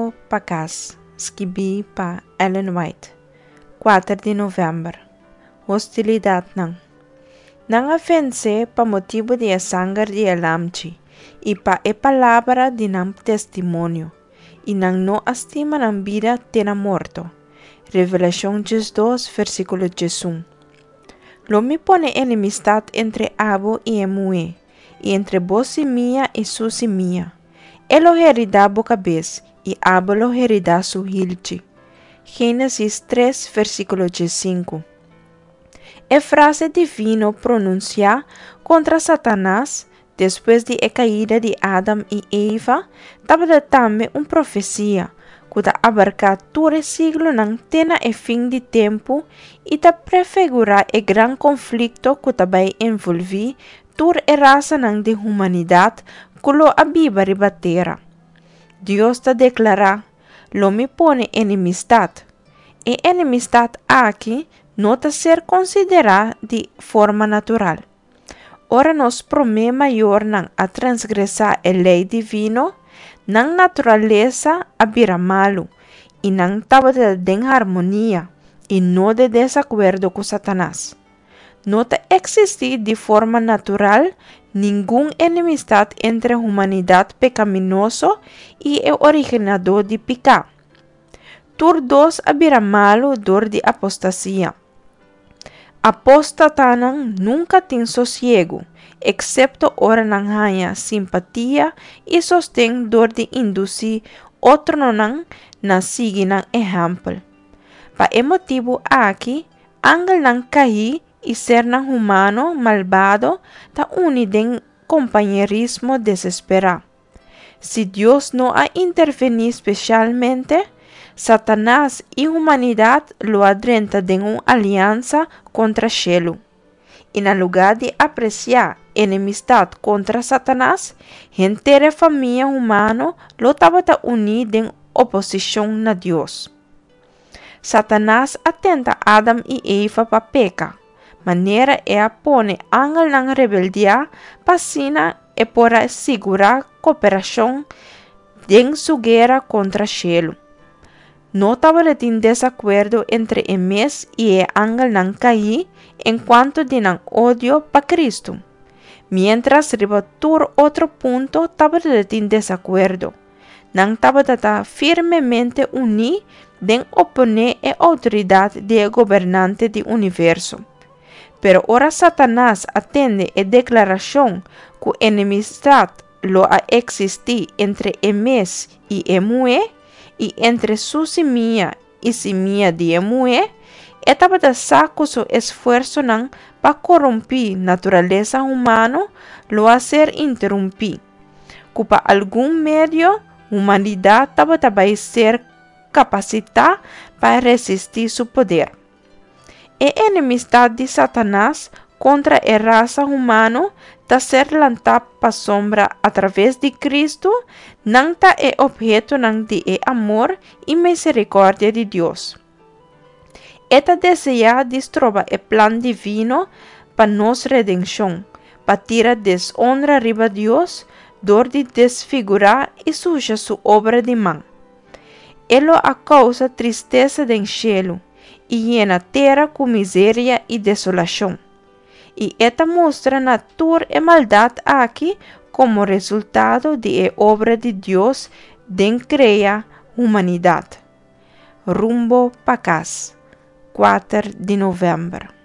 Rumbo pa Kas, skibí pa Ellen White, 4 di novèmber. Hostilidatnan. Nan a vens'é pa motibu di e sanger di e Lamchi i pa e palabra di nan testimonio, i nan no a stima nan bida te na morto. Revelashon 12, versíkulo 11. Lo mi pone enemistat entre abo i e muhé, i entre bo simia i su simia. E lo heridá bo kabes, i abo lo heridá su hilchi. Génesis 3, versíkulo 15. E frase divino pronunsiá kontra Satanas despues di e kaida di Adam i Eva tabata tambe un profesia ku ta abarká tur e siglonan te na e fin di tempu i ta prefigurá e gran konflikto ku ta bai envolví tur e rasanan di humanidat ku lo a biba riba tera. Dios ta deklará, Lo mi pone enemistat. E enemistat aki no ta ser konsiderá di forma natural. Ora nos promé mayornan a transgresá e lei divino, nan naturalesa a bira malu i nan tabata den harmonia i no den desakuerdo ku Satanas. No ta eksistí di forma natural ningun enemistat entre humanidat pekaminoso i e originadó di piká. Tur dos a bira malu dor di apostasia. Apóstatanan nunka tin sosiegu, eksepto ora nan haña simpatia i sosten dor di indusí otronan na sigui nan ehèmpel. Pa e motibu aki, angelnan kaí i sernan humano malbado ta uni den kompañerismo desesperá. Si Dios no a intervení spesialmente, Satanas i humanidat lo a drenta den un aliansa kontra shelu. I na lugá di apresiá enemistat kontra Satanas, henter e famia humano lo tabata uní den oposishon na Dios. Satanas a tenta Adam i Eva pa peka, manera e a pone angelnan rebeldiá pa asina e por a sigurá koperashon den su guera kontra shelu. No tabatin desakuerdo entre e mes i e angelnan kaí enkuanto di nan odio pa Kristu, miéntras riba tur otro punto tabatin desakuerdo. Nan tabata ta firmemente uní den oponé e outoridat di e Gobernante di universo. Pero ora Satanas a tende e deklarashon ku enemistat lo a eksistí entre e mes i e muhé, i entre su simia i simia di e muhé, e tabata sa ku su esfuersonan pa korumpí naturalesa humano lo a ser interumpí. ku pa algun medio humanidat tabata bai ser kapasitá pa resistí su poder. E enemistat di Satanas kontra e rasa humano ta ser lantá pasobra atraves di Kristu nan ta e ophetonan di e amor i miserikòrdia di Dios. E ta deseá di stroba e plan divino pa nos redenshon, pa tira deshonra riba Dios dor di desfigurá i susha su obra di man. E lo a kousa tristesa den shelu i yena tera ku miseria i desolashon. I e ta mustra na tur e maldat aki komo resultado di e obra di Dios den krea humanidat. Rumbo pa kas, 4 di novèmber.